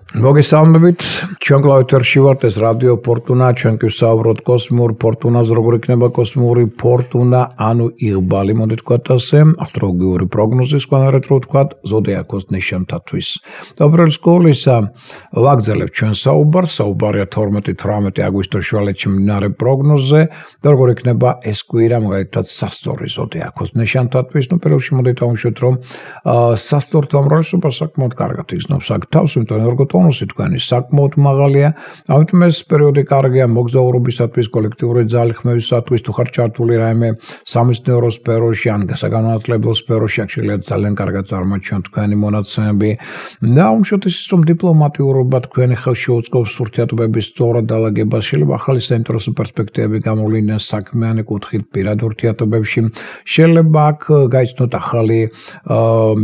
მოგესალმებით, ჩვენ კლავეთერში ვართ, ეს რადიო ფორტუნა, ჩვენ კი ვსაუბრობთ კოსმიურ ფორტუნაზე, როგორ იქნება კოსმიური ფორტუნა, ანუ იღბალი, მოდით ვთქვათ ასე, ასტროლოგიური პროგნოზის განარეთ რო ვთქვათ, ზოდიაქოს ნიშანთათვის. Dobrel სკოლისა ვაგრძელებთ ჩვენ საუბარია 12-18 აგვისტოს შუალედში მიმდინარე პროგნოზზე, და როგორ იქნება ეს კვირა, მაგალითად, სასწორი ზოდიაქოს ნიშანთათვის, პირველში მოდით ავუშვათ, რომ სასწორთა უმრავლესობა საკმაოდ კარგად იგრძნობს აქ თავს, იმიტომ რომ ტონუსი თქვენი საკმაოდ მაღალია, ამიტომ ეს პერიოდი კარგია მოგზაურობისათვის, კოლექტიური ძალხმევისათვის, თუ ხარ ჩართული რაიმე სამეცნიერო სფეროში, ან საგანმანათლებლო სფეროში, აქ შეიძლება ძალიან კარგად წარმოაჩინოთ თქვენი მონაცემები. და უშუალოდ ის რომ დიპლომატიურობა თქვენი ხელში უწყობს ურთიერთობების სწორად დალაგებას, შეიძლება ახალი საინტერესო პერსპექტივები გამოვლინდეს საქმიანი კუთხით პირად ურთიერთობებში, შეიძლება აქ გაიცნოთ ახალი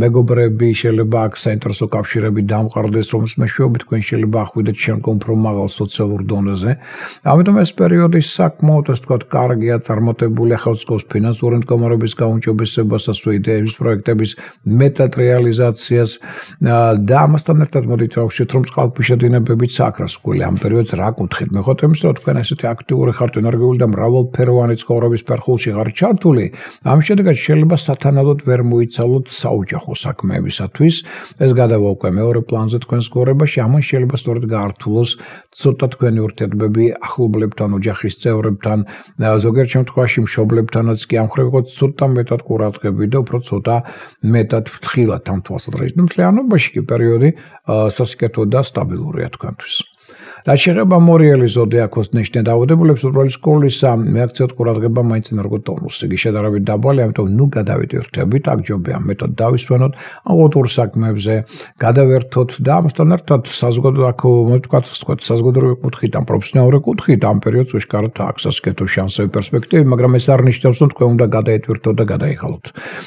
მეგობრები, შეიძლება აქ საინტერესო კავშირები დამყარდეს, რომ მეშვეობით თქვენ შეიძლება ახვიდეთ შემდგომ უფრო მაღალ სოციალურ დონეზე. ამიტომ ეს პერიოდი საკმაოდ ასე ვთქვათ კარგია, წარმატებული ახალწლების ფინანსური მდგომარეობის გაუმჯობესებას, ასევე იდეების პროექტების მეტად რეალიზაციას და ამასთან ერთად მოდით ვავშეთ, რომ წყალქვეშა დინებებიც აკრას გული ამ პერიოდს რა კუთხით. მეხოთ იმის, რომ თქვენ ესეთი აქტიური ხართ, ენერგიული და მრავალფეროვანი ცხოვრების ფერხულში ხართ ჩართული, ამ შედეგად შეიძლება სათანადოდ ვერ მოიცალოთ საოჯახო საქმეებისათვის. ეს გადავა უკვე მეორე პლანზე თქვენს ცხოვრებაში, ამან შეიძლება სწორედ გაართულოს ცოტა თქვენი ურთიერთობები ახლობლებთან, ოჯახის წევრებთან, ზოგიერთ შემთხვევაში მშობლებთანაც კი ამ ხრევ იყოს ცოტა მეტად ყურადღები და უფრო ცოტა მეტად ფრთხილად ამ თვალსაზრისით. მთლიანობაში კი პერიოდი სასიკეთო და სტაბილურია თქვენთვის. რაც შეეხება მორიელი ზოდიაქოს ნიშნე დაავადებულებს, უბრალოდ სკოლისა მეაქცევთ ყურადღება მაინც ენერგო ტონუსს. იგი შედარებით დაბალი, ამიტომ ნუ გადავიდირთებით, აქ ჯობია მეტად დავისვენოთ, აუტორ საქმეებზე გადავერთოთ და ამასთან ერთად საზოგადო აქ მოვთქვათ, საზოგადოებრივი კუთხით ან პროფესიონალური კუთხით ამ პერიოდს უშკარად აქვს სასიკეთო შანსები, პერსპექტივები, მაგრამ ეს არ ნიშნავს, რომ თქვენ უნდა გადაეტვირთოთ და გადაიღალოთ.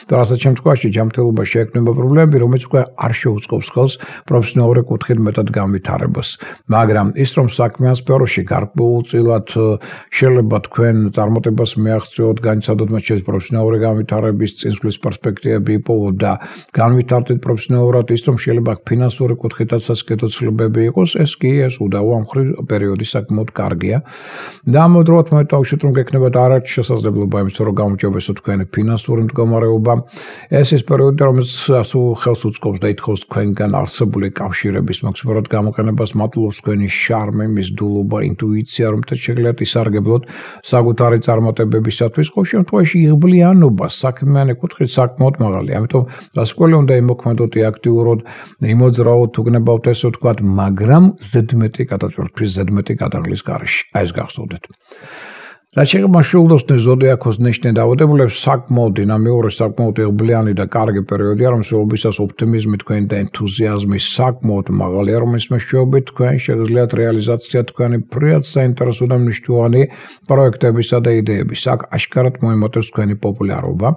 და რასაც შემთხვევაში ჯანმრთელობაში შეექმნება პრობლემები, რომელიც უკვე არ შეუწყობს ხელს პროფესიონალური კუთხით მეტად განვითარებას. მაგრამ ის რომ საქმიან სფეროში გარკვეულწილად შეიძლება თქვენ წარმატებას მიაღწიოთ, განიცადოთ მათ შორის პროფესიონალური განვითარების წინსვლის პერსპექტივები იპოვოთ და განვითარდეთ პროფესიონალურად, ის რომ შეიძლება ფინანსური კუთხითაც სასიკეთო ცვლილებები იყოს, ეს კი ეს უდავო ამ მხრივ პერიოდი საკმაოდ კარგია. და ამავდროულად მოვიტოვოთ რომ გექნებათ არაერთი შესაძლებლობა იმის რომ გამოჯობესოთ თქვენი ფინანსური მდგომარეობა. ეს ის პერიოდი რომელიც ასო ხელს უწყობს და ითხოვს თქვენგან არსებული კავშირების მაქსიმალურად გამოყენებას, მადლობს თქვენი შარმი, მისდულობა, ინტუიცია, რომ შეგვიძლიათ ისარგებლოთ საკუთარი წარმატებებისათვის, ყოველ შემთხვევაში იღბლიანობა საქმიანი კუთხით საკმაოდ მაღალია. ამიტომ დასკვნელი უნდა იმოქმედოთ აქტიურად, იმოძრაოთ, უგნებავთ ესე ვთქვათ, მაგრამ ზედმეტი გადაწყვეტის, ზედმეტი გადაღლის გარეშე. აი ეს გახსოვდეთ. რაც შეეხება შულდოსნის ზოდიაქოს ნიშნე დაავადებულებს, საკმაოდ დინამიური, საკმაოდ იღბლიანი და კარგი პერიოდია, რომელსაც ოპტიმიზმი თქვენი და ენთუზიაზმი საკმაოდ მაღალია, რომლის მეშვეობით თქვენ შეგიძლიათ რეალიზაცია თქვენი ფრიად საინტერესო და მნიშვნელოვანი პროექტებისა და იდეების. აქ აშკარად მოემატებს თქვენი პოპულარობა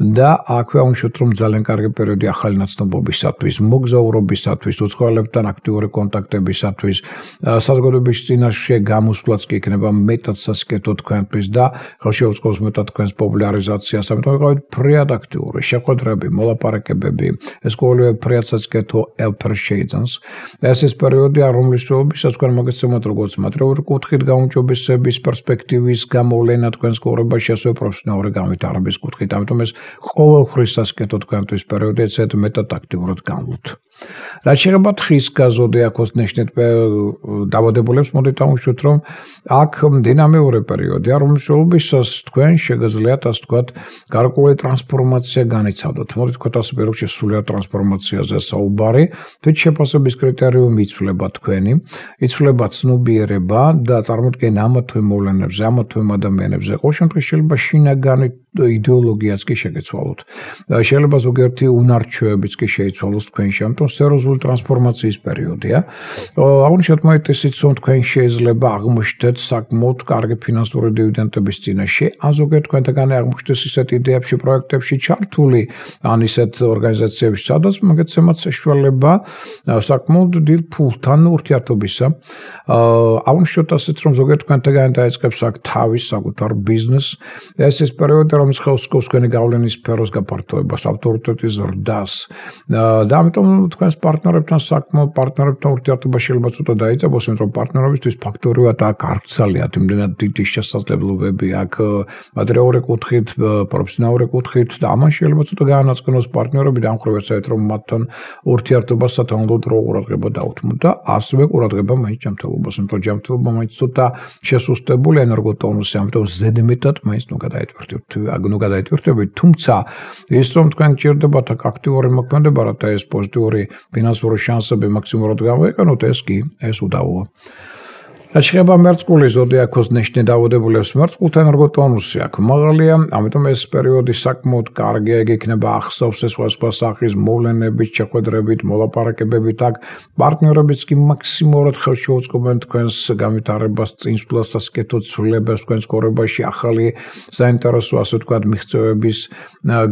და აქვე აუშვათ, რომ ძალიან კარგი პერიოდი ახალი ნაცნობობისათვის, მოგზაურობისათვის, უცხოელებთან აქტიური კონტაქტებისათვის, საზოგადოების წინაშე გამოსვლაც კი იქნება მეტად სასიკეთო თქვენთვის და ხელში უწყობს მეტად თქვენს პოპულარიზაციას, ამიტომ იყავით ფრიად აქტიური, შეხვედრები, მოლაპარაკებები, ეს ყოველივე ფრიად სასიკეთო ელფერ შეიძენს. ეს ის პერიოდია, რომლის შენობისას თქვენ მოგეცემათ როგორც მატერიალური კუთხით გაუმჯობესების პერსპექტივის გამოვლენა თქვენს ცხოვრებაში, ასევე პროფესიონალური განვითარების კუთხით. ამიტომ ეს ყოველხრივ სასიკეთო თქვენთვის პერიოდია, ეცეთ მეტად აქტიურად განვლოთ. რაც შეეხება თხის ზოდიაქოს ნიშნით დაავადებულებს, მოდით ავუშვათ, რომ აქ დინამიური პერიოდია, რომელშიც თქვენ შეგიძლიათ ასე ვთქვათ, გარკვეული ტრანსფორმაცია განიცადოთ. მოდით ვთქვათ ასე, პირველში სულიერ ტრანსფორმაციაზე საუბარი, თვით შეფასების კრიტერიუმი იცვლება თქვენი, იცვლება ცნობიერება და წარმოდგენა ამა თუ იმ მოვლენებზე, ამა თუ იმ ადამიანებზე. ყოველ შემთხვევაში შეიძლება შინაგანი იდეოლოგიაც კი შეგეცვალოთ. შეიძლება ზოგიერთი უნარჩვევებიც კი შეიცვალოს თქვენში, ამიტომ სერიოზული ტრანსფორმაციის პერიოდია. აღნიშნეთ მოიტესით, რომ თქვენ შეიძლება აღმოჩნდეთ საკმაოდ კარგი ფინანსური დივიდენდების წინაშე, ან ზოგიერთ თქვენთაგანი აღმოჩნდეს ისეთ იდეებში, პროექტებში ჩართული, ან ისეთ ორგანიზაციებში, სადაც მოგეცემათ საშუალება საკმაოდ დიდ ფულთან ურთიერთობისა. აღნიშნოთ ასეც, რომ ზოგიერთ თქვენთაგანი დაიწყებს აქ თავის საკუთარ ბიზნესს. ეს ის პერიოდი, რომელიც ხელს უწყობს თქვენი გავლენის სფეროს გაფართოებას, ავტორიტეტის ზრდას. და ამიტომ თქვენს პარტნიორებთან საქმო, პარტნიორებთან ურთიერთობა შეიძლება ცოტა დაიწყოს, იმიტომ რომ პარტნიორებისთვის ფაქტორიულად აქ არ გცალიათ იმდენად დიდი შესაძლებლობები აქ მატერიალური კუთხით, პროფესიონალური კუთხით და ამან შეიძლება ცოტა გაანაწილოს პარტნიორები და ამ ხრევებსაც რომ მათთან ურთიერთობას სათანადოდ რო ყურადღება დაუთმოთ და ასევე ყურადღება მაინც ჯანმრთელობას, იმიტომ რომ ჯანმრთელობა მაინც ცოტა შესუსტებული ენერგოტონუსი, ამიტომ ზედმეტად მაინც ნუ გადაიტვირთებით, თუმცა ის რომ თქვენ გჭირდებათ აქ აქტიური მოქმედება, რათა ეს პოზიტიური ფინანსური შანსები მაქსიმალურად გამოიყენოთ, ეს უდავოა. Შეიძლება მერწყული ზოდიაქოს ნიშნი დაავადებულებს მერწყულთა ენერგოტონუსი აქ მაღალია, ამიტომ ეს პერიოდი საკმაოდ კარგია, ეგ იქნება ახსოვს სხვა სახის მოვლენებით, შეხვედრებით, მოლაპარაკებებით აქ პარტნიორებიც კი მაქსიმალურად ხელშეუწყობენ თქვენს განვითარებას, წინსვლას, სასკეთო ცვლილებებს თქვენს კორებაში, ახალი საინტერესო ასე ვთქვათ მიღწევების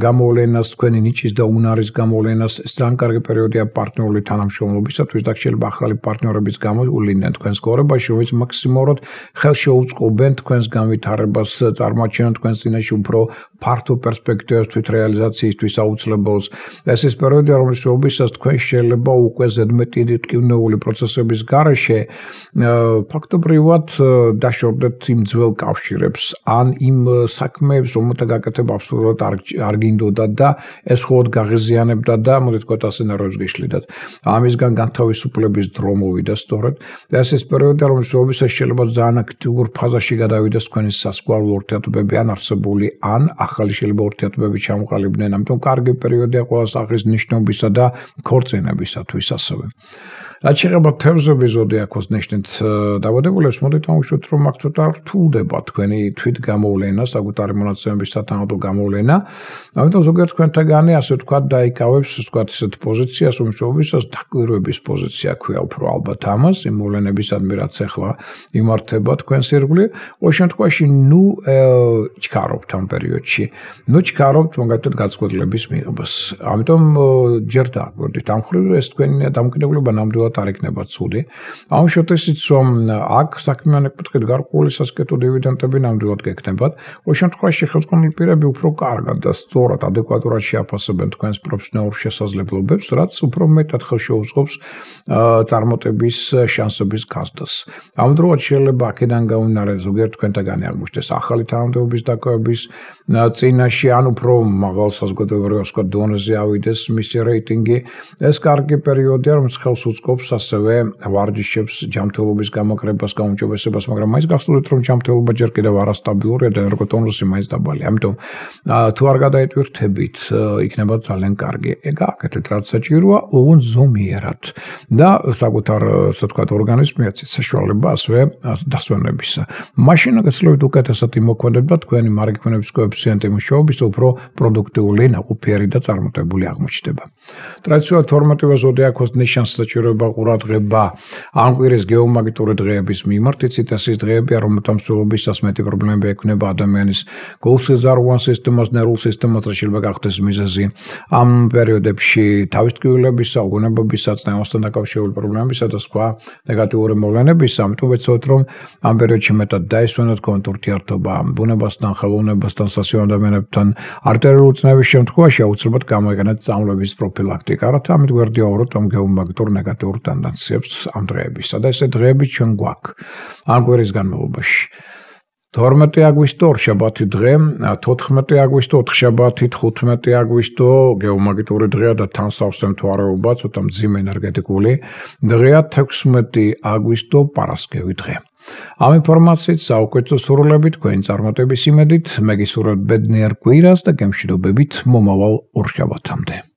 გამოვლენას, თქვენი ნიჭის და უნარის გამოვლენას, ეს ძალიან კარგი პერიოდია პარტნიორული თანამშრომლობისათვის და შეიძლება ახალი პარტნიორებიც გამოვლიდნენ თქვენს კორებაში, მაქსიმალურად ხელშეუწყობენ თქვენს განვითარებას, წარმოაჩენთ თქვენს წინაშე უფრო ფართო პერსპექტივას თვით რეალიზაციისთვის აუცილებელს. ეს ის პერიოდია, რომელშიც თქვენ შეიძლება უკვე ზედმეტი ტკივნეული პროცესების გარეშე ფაქტობრივად დაშორდეთ იმ ძველ კავშირებს, ან იმ საქმეებს, რომელთა გაკეთება აბსოლუტურად არ გინდოდათ და ეს მხოლოდ გაღიზიანებდა და მოდით ვთქვათ ასე ნერვებს გიშლიდათ. ამისგან განთავისუფლების დრო მოვიდა სწორედ. ეს ის პერიოდია, რომელშიც შეიძლება ძალიან აქტიურ ფაზაში გადავიდეს თქვენი სასკვალო ურთიერთობები ან არსებული ან ახალი შეიძლება ურთიერთობები ჩამოყალიბდნენ, ამიტომ კარგი პერიოდია ყველა სახის ნიშნობისა და ქორწინებისათვის ასევე. რაც შეეხება თევზების ზოდიაქოს ნიშნით დაავადებულებს, მოდით ავუშვათ, რომ აქ ცოტა რთულდება თქვენი თვით გამოვლენა, საკუთარი მონაცემების სათანადო გამოვლენა. ამიტომ ზოგიერთ თქვენთაგანი ასე ვთქვათ დაიკავებს ვთქვათ ისეთ პოზიციას, რომელსაც დაკვირვების პოზიცია ქვია უფრო ალბათ ამას, იმ მოვლენებისადმი რაც ახლა იმართება თქვენს ირგვლივ, ყოველ შემთხვევაში ნუ ჩქარობთ ამ პერიოდში. ნუ ჩქარობთ მაგალითად გაწყვეტილების მიღებას. ამიტომ ჯერ დააკვირდით ამ მხრივ ეს თქვენი დამოკიდებულება ნამდვილად არ იქნება ცუდი. ამ შემთხვევაშიც რომ აქ საქმიანი კუთხით გარკვეული სასკეთო დივიდენდები ნამდვილად გექნებათ, ყოველ შემთხვევაში ხელმძღვანელი პირები უფრო კარგად და სწორად ადეკვატურად შეაფასებენ თქვენს პროფესიონალურ შესაძლებლობებს, რაც უფრო მეტად ხელშეუწყობს წარმატების შანსების გაზრდას. ამ დროულად შეიძლება აქედან გამომდინარე ზოგიერთ თქვენთაგანი აღმოჩნდეს ახალი თანამდებობის დაკავების წინაშე, ან უფრო მაღალ საზოგადოებრივ დონეზე ავიდეს მისი რეიტინგი. ეს კარგი პერიოდია, რომელიც ხელს უწყობს ასევე ვარჯიშებს, ჯანმრთელობის გამოკრებას, გაუმჯობესებას, მაგრამ მაინც გახსოვდეთ, რომ ჯანმრთელობა ჯერ კიდევ არასტაბილურია და ენერგოტონუსი მაინც დაბალია. ამიტომ თუ არ გადაიტვირთებით, იქნება ძალიან კარგი. ეგ აკეთეთ, რაც საჭიროა, ოღონდ ზომიერად და საკუთარ ასე ვთქვათ ორგანიზმიაც საშუალება ასევე დასვენებისა. მაშინ გაცილებით უკეთესად იმოქმედება თქვენი მარგიფონების კოეფიციენტი მუშაობის უფრო პროდუქტიული, ნაყოფიერი და წარმატებული აღმოჩნდება. ტრადიციულად 12-ვე ზოდიაქოს ნიშანს საჭიროება ყურადღება ამ კვირის გეომაგნიტური დღეების მიმართ, იცით ეს ის დღეებია, რომელთა მსვლელობისას მეტი პრობლემები ექმნება ადამიანის გულსიზარღვან სისტემას, ნერვულ სისტემას, რაც შეიძლება გახდეს მიზეზი ამ პერიოდებში თავის ტკივილებისა, უგონებობისა, წნევასთან დაკავშირებული პრობლემებისა და სხვა ნეგატიური მოვლენებისა. ამიტომ ვეცადოთ, რომ ამ პერიოდში მეტად დაისვენოთ თქვენთ ურთიერთობა ბუნებასთან, ხელოვნებასთან, სასიამოვნო ადამიანებთან, არტერიულ წნევის შემთხვევაში აუცილებლად გამოიყენეთ სწავლების პროფილაქტიკა, რათა ამით გვერდიაუროთ ამ გეომაგნიტურ ნეგატიურ ტენდენციებს ამ დღეებისა და ესე დღეები ჩვენ გვაქვს ამ კვირის განმავლობაში. 12 აგვისტო ორშაბათი დღე, 14 აგვისტო ოთხშაბათი, 15 აგვისტო გეომაგნიტური დღეა და თან სავსე მთვარეობა, ცოტა მძიმე ენერგეტიკული დღეა, 16 აგვისტო პარასკევი დღე. ამ ინფორმაციით საუკეთესო სურვილებით, თქვენი წარმატების იმედით, მე გისურვებთ ბედნიერ კვირას და გემშვიდობებით მომავალ ორშაბათამდე.